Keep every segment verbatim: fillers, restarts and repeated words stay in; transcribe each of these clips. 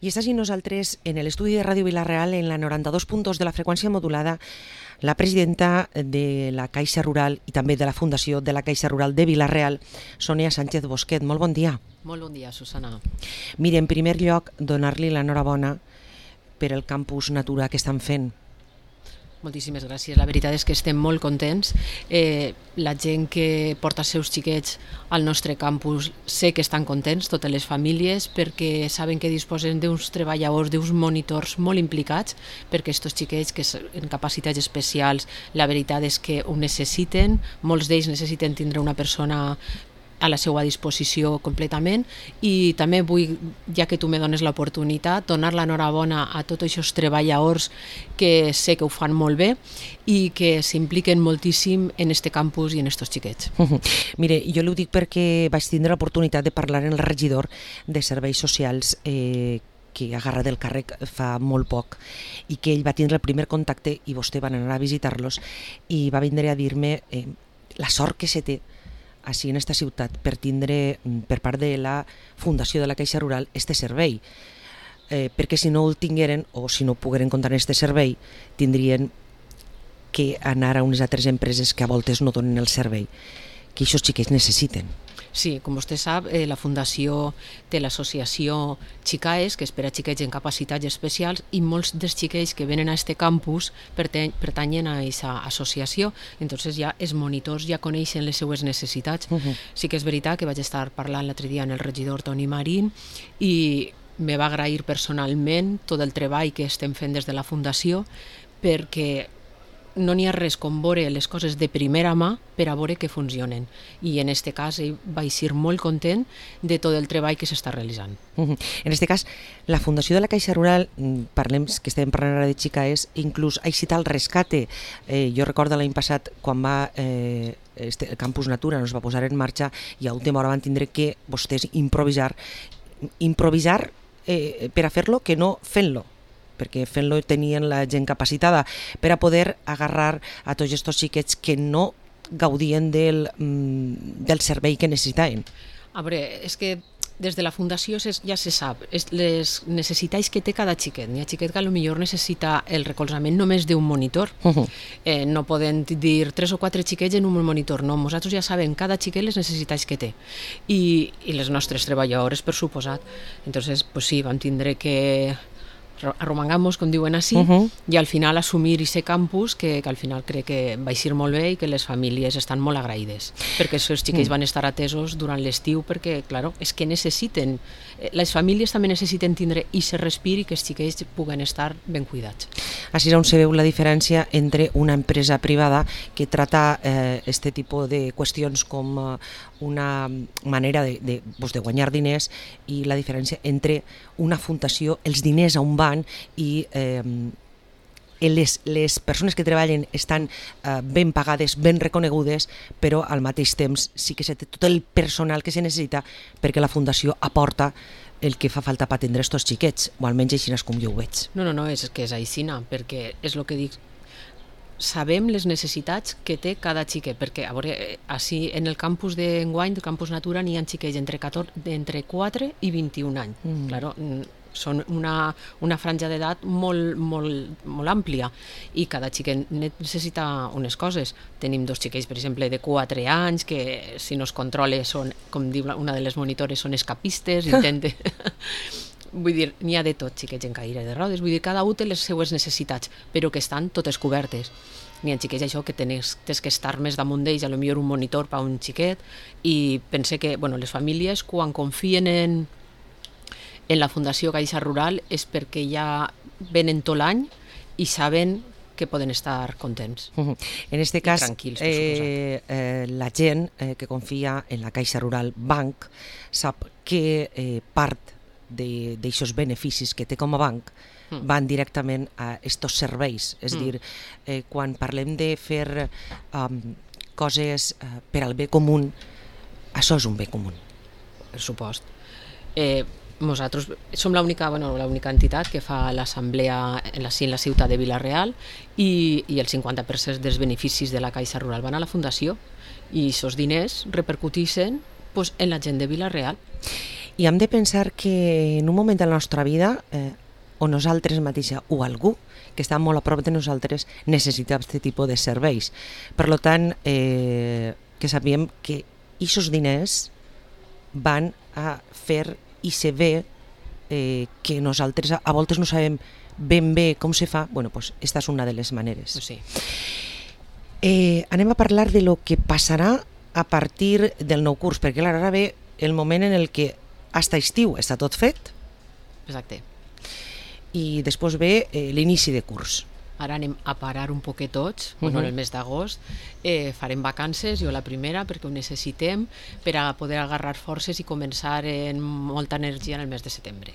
I estàs i nosaltres en l'estudi de Ràdio Vila-real en la noranta-dos punt dos de la freqüència modulada, la presidenta de la Caixa Rural i també de la Fundació de la Caixa Rural de Vila-real, Sònia Sánchez Bosquet. Molt bon dia. Molt bon dia, Susana. Mira, en primer lloc, donar-li l'enhorabona per el campus Natura que estan fent. Moltíssimes gràcies. La veritat és que estem molt contents. Eh, la gent que porta els seus xiquets al nostre campus sé que estan contents, totes les famílies, perquè saben que disposen d'uns treballadors, d'uns monitors molt implicats, perquè aquests xiquets que en capacitats especials, la veritat és que ho necessiten, molts d'ells necessiten tindre una persona a la seva disposició completament, i també vull, ja que tu me dones l'oportunitat, donar l'enhorabona a tots aquests treballadors que sé que ho fan molt bé i que s'impliquen moltíssim en este campus i en estos xiquets. Mire, jo ho dic perquè vaig tindre l'oportunitat de parlar amb el regidor de Serveis Socials eh, que ha agarrat el càrrec fa molt poc i que ell va tindre el primer contacte i vostè van anar a visitar-los i va vindre a dir-me eh, la sort que se té així en esta ciutat per tindre per part de la Fundació de la Caixa Rural este servei, eh, perquè si no el tingueren o si no pogueren comptar este servei tindrien que anar a unes altres empreses que a voltes no donen el servei que aquests xiquets necessiten. Sí, com vostè sap, eh, la Fundació té l'associació Xicaes, que és per a xiquets en capacitats especials, i molts dels xiquets que venen a este campus pertany pertanyen a aquesta associació. Entonces ja els monitors ja coneixen les seues necessitats. Uh-huh. Sí que és veritat que vaig estar parlant l'altre dia amb el regidor Toni Marín i me va agrair personalment tot el treball que estem fent des de la Fundació, perquè no n'hi ha res com veure les coses de primera mà per a veure que funcionen. I en aquest cas ell va ser molt content de tot el treball que s'està realitzant. Uh-huh. En aquest cas, la Fundació de la Caixa Rural, parlem que estem parlant ara de Xicaes, inclús ha citat el rescate. Eh, jo recordo l'any passat quan va eh, este, el Campus Natura no es va posar en marxa i a última hora van tindre que vostès improvisar, improvisar eh, per a fer-lo que no fent-lo, perquè fent-lo tenien la gent capacitada per a poder agarrar a tots aquests xiquets que no gaudien del, del servei que necessitaven. A veure, és que des de la Fundació ja se sap les necessitats que té cada xiquet. N'hi ha xiquet que potser necessita el recolzament només d'un monitor. Uh-huh. eh, no poden dir tres o quatre xiquets en un monitor, no. Nosaltres ja sabem cada xiquet les necessitats que té. I, i les nostres treballadores, per suposat. Entonces, pues sí, vam tindre que arromangamos, com diuen així, uh-huh. i al final assumir aquest campus que, que al final crec que va ser molt bé i que les famílies estan molt agraïdes, perquè els seus xiquets mm. van estar atesos durant l'estiu, perquè, claro, és que necessiten, les famílies també necessiten tindre i se respiri que els xiquets puguen estar ben cuidats. Així és on se veu la diferència entre una empresa privada que trata eh, este tipus de qüestions com eh, una manera de, de, pues, de guanyar diners i la diferència entre una fundació, els diners on van i eh, les, les persones que treballen estan eh, ben pagades, ben reconegudes, però al mateix temps sí que se té tot el personal que se necessita perquè la fundació aporta el que fa falta per atendre aquests xiquets, o almenys així com jo ho veig. No, no, no, és que és aixina, perquè és el que dic, sabem les necessitats que té cada xiquet, perquè a veure, així en el campus d'enguany, del campus Natura, n'hi ha xiquets entre, catorze, entre quatre i vint-i-un anys. Mm. Claro, són una, una franja d'edat molt, molt, molt àmplia i cada xiquet necessita unes coses. Tenim dos xiquets, per exemple, de quatre anys que si no es controla són, com diu una de les monitores, són escapistes, intenten... Vull dir, n'hi ha de tot, xiquets en cadira de rodes, vull dir, cada un té les seues necessitats, però que estan totes cobertes. N'hi ha xiquets això que tens, tens que estar més damunt d'ells, a lo millor un monitor per a un xiquet, i pense que bueno, les famílies quan confien en, en la Fundació Caixa Rural és perquè ja venen tot l'any i saben que poden estar contents. Uh-huh. En aquest cas, eh, eh, la gent eh, que confia en la Caixa Rural Banc sap que eh, part d'aquests beneficis que té com a banc mm. van directament a aquests serveis. És mm. dir, eh, quan parlem de fer um, coses uh, per al bé comú, això és un bé comú. Per supost. Eh, nosaltres som l'única bueno, l'única entitat que fa l'assemblea en la, en la ciutat de Vila-real i, i el cinquanta per cent dels beneficis de la Caixa Rural van a la Fundació i aquests diners repercuteixen pues, en la gent de Vila-real. I hem de pensar que en un moment de la nostra vida eh, o nosaltres mateixa o algú que està molt a prop de nosaltres necessita aquest tipus de serveis. Per tant, eh, que sabíem que aquests diners van a fer i se ve eh, que nosaltres a, a voltes no sabem ben bé com se fa. Bueno, pues esta és una de les maneres. Pues sí. Eh, anem a parlar de lo que passarà a partir del nou curs, perquè clar, ara ve el moment en el que hasta estiu està tot fet. Exacte. I després ve eh, l'inici de curs. Ara anem a parar un poquet tots, uh -huh. bueno, en el mes d'agost, eh, farem vacances, jo la primera, perquè ho necessitem per a poder agarrar forces i començar amb molta energia en el mes de setembre.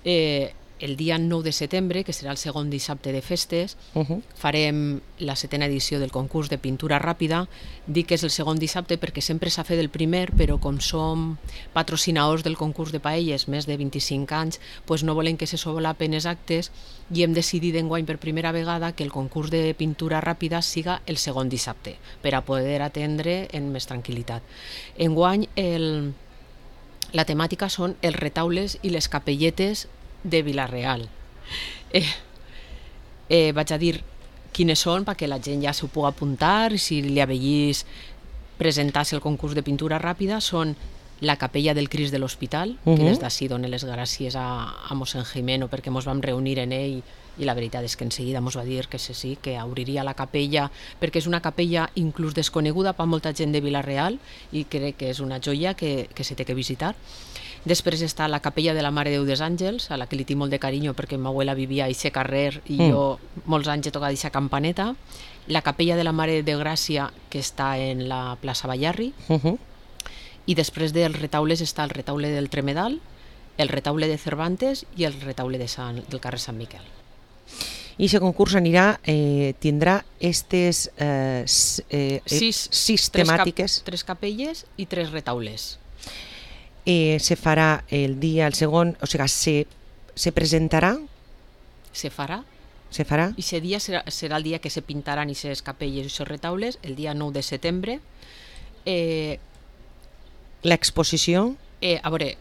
Eh, el dia nou de setembre, que serà el segon dissabte de festes, uh -huh. farem la setena edició del concurs de pintura ràpida. Dic que és el segon dissabte perquè sempre s'ha fet el primer, però com som patrocinadors del concurs de paelles més de vint-i-cinc anys, doncs no volem que se solapen els actes i hem decidit enguany per primera vegada que el concurs de pintura ràpida siga el segon dissabte, per a poder atendre en més tranquil·litat. Enguany el, la temàtica són els retaules i les capelletes de Vila-real. Eh, eh, vaig a dir quines són perquè la gent ja s'ho pugui apuntar i si li avellís presentar-se el concurs de pintura ràpida. Són la capella del Crist de l'Hospital, uh -huh. que des d'ací donen les gràcies a, a mossèn Jimeno perquè ens vam reunir en ell i la veritat és que en seguida ens va dir que sí, sí, que obriria la capella perquè és una capella inclús desconeguda per molta gent de Vila-real i crec que és una joia que, que se té que visitar. Després està la capella de la Mare de Déu dels Àngels, a la que li tinc molt de carinyo perquè ma abuela vivia a aquest carrer i mm. jo molts anys he tocat aquesta campaneta. La capella de la Mare de Gràcia, que està en la plaça Ballarri. Uh -huh. I després dels retaules està el retaule del Tremedal, el retaule de Cervantes i el retaule de Sant, del carrer Sant Miquel. I aquest concurs anirà, eh, tindrà aquestes eh, eh, sis, sis tres temàtiques. Cap, tres capelles i tres retaules. Eh, se farà el dia, el segon, o sigui, se, se presentarà? Se farà. Se farà? I aquest dia serà, serà el dia que se pintaran aquestes capelles i aquests retaules, el dia nou de setembre. Eh, L'exposició? Eh, a veure,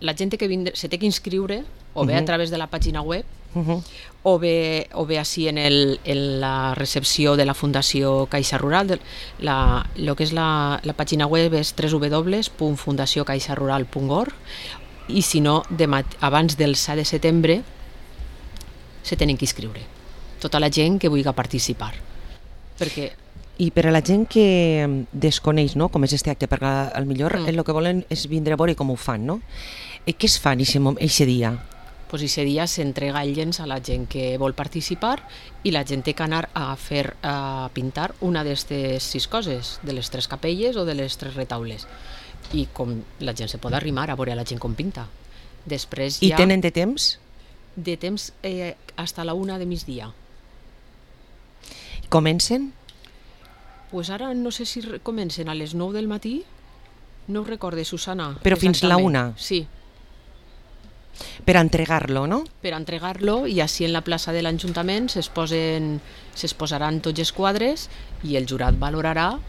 la gent que vindrà, se té que inscriure, o bé uh -huh. a través de la pàgina web, uh -huh. o bé, o bé així en, el, en la recepció de la Fundació Caixa Rural. La, lo que és la, la pàgina web és w w w punt fundació caixa rural punt org i si no, de mat abans del set de setembre se tenen que inscriure. Tota la gent que vulgui participar. Perquè... I per a la gent que desconeix, no?, com és este acte, perquè al millor mm. el que volen és vindre a veure com ho fan, no? I què es fan aquest dia? Pues ese dia s'entrega el llenç a la gent que vol participar i la gent té que anar a fer a pintar una d'aquestes sis coses, de les tres capelles o de les tres retaules. I com la gent se pot arrimar a veure la gent com pinta. Després I ja... tenen de temps? De temps eh, hasta la una de migdia. Comencen? Pues ara no sé si comencen a les nou del matí, no ho recorde, Susana. Però fins la una? Sí. Per a entregar-lo, no? Per a entregar-lo i així en la plaça de l'Ajuntament s'exposaran tots els quadres i el jurat valorarà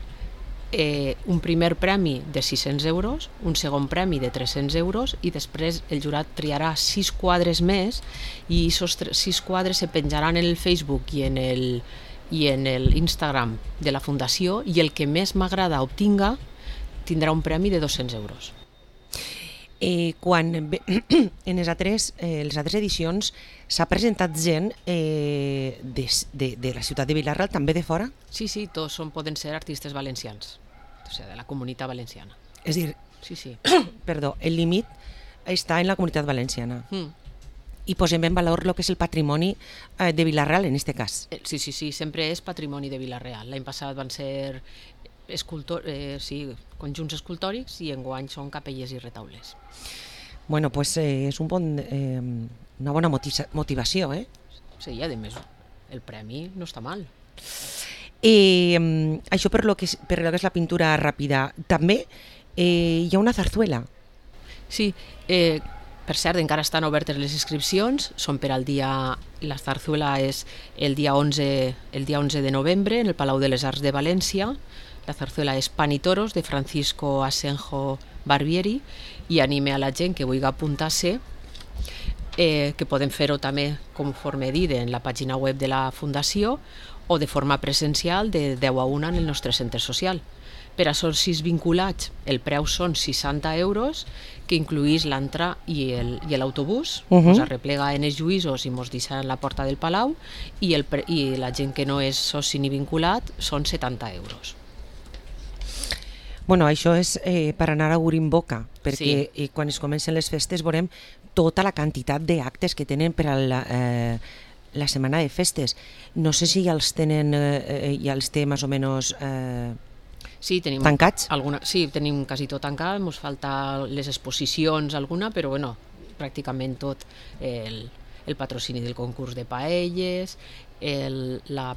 eh, un primer premi de sis-cents euros, un segon premi de tres-cents euros i després el jurat triarà sis quadres més i aquests sis quadres se penjaran en el Facebook i en el i en l'Instagram de la Fundació i el que més m'agrada obtinga tindrà un premi de dos-cents euros. Eh, quan en les altres, eh, les altres edicions s'ha presentat gent eh, de, de, de la ciutat de Vila-real, també de fora? Sí, sí, tots són, poden ser artistes valencians, o sigui, de la comunitat valenciana. És dir, sí, sí. perdó, el límit està en la comunitat valenciana. Mm. I posem en valor el que és el patrimoni eh, de Vila-real en aquest cas. Sí, sí, sí, sempre és patrimoni de Vila-real. L'any passat van ser escultor, eh, sí, conjunts escultòrics i enguany són capelles i retaules. Bueno, pues eh, és un bon, eh, una bona motivació, eh? Sí, i a més, el premi no està mal. Eh, això per lo que és, per lo que és la pintura ràpida. També eh, hi ha una zarzuela. Sí, eh, per cert, encara estan obertes les inscripcions, són per al dia... La zarzuela és el dia onze, el dia onze de novembre en el Palau de les Arts de València. La zarzuela és Pan y Toros, de Francisco Asenjo Barbieri, i anime a la gent que vulgui apuntar-se, eh, que podem fer-ho també, conforme dit, en la pàgina web de la Fundació o de forma presencial de deu a una en el nostre centre social. Per a socis vinculats, el preu són seixanta euros, que incluïs l'entrada i l'autobús, uh -huh. Ens arreplega en els Lluïsos i ens deixa en la porta del Palau, i, el, i la gent que no és soci ni vinculat són setanta euros. Bueno, això és eh, per anar a obrir boca, perquè Sí. eh, quan es comencen les festes veurem tota la quantitat d'actes que tenen per a la, eh, la setmana de festes. No sé si ja els tenen, eh, ja els té més o menys eh, Sí, tenim tancats. Alguna, sí, tenim quasi tot tancat, ens falta les exposicions alguna, però bueno, pràcticament tot, el, el patrocini del concurs de paelles, el, la,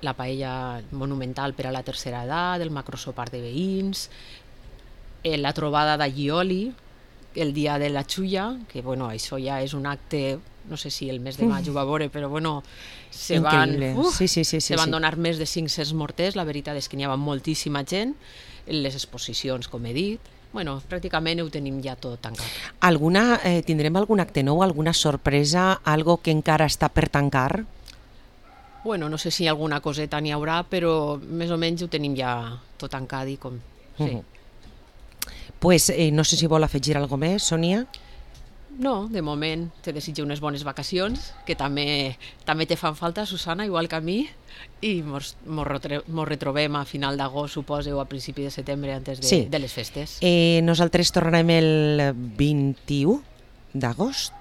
la paella monumental per a la tercera edat, el macrosopar de veïns, el, la trobada d'Allioli, el dia de la xulla, que bueno, això ja és un acte, no sé si el mes de maig ho va veure, però bueno, se van, uh, sí, sí, sí, sí, se van sí. donar més de cinc-cents morters, la veritat és que n'hi havia moltíssima gent, les exposicions, com he dit, bueno, pràcticament ho tenim ja tot tancat. Alguna, eh, tindrem algun acte nou, alguna sorpresa, algo que encara està per tancar? Bueno, no sé si alguna coseta n'hi haurà, però més o menys ho tenim ja tot tancat i com... Sí. Uh -huh. Pues eh, no sé si vol afegir alguna cosa més, Sònia? No, de moment te desitjo unes bones vacacions, que també també te fan falta, Susana, igual que a mi, i mos, mos, retre, mos retrobem a final d'agost, suposo, o a principi de setembre, antes de, sí. de les festes. Eh, nosaltres tornarem el vint-i-u d'agost,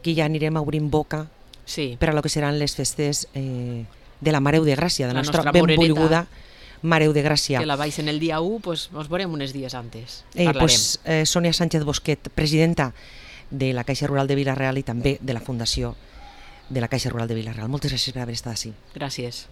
que ja anirem a obrir boca sí. per a lo que seran les festes eh, de la Mareu de Gràcia, de la, la nostra, nostra benvolguda Mareu de Gràcia. Que la baix en el dia u, pues, ens veurem uns dies antes. Eh, Parlarem. pues, eh, Sònia Sánchez Bosquet, presidenta de la Caixa Rural de Vila-real i també de la Fundació de la Caixa Rural de Vila-real. Moltes gràcies per haver estat així. Gràcies.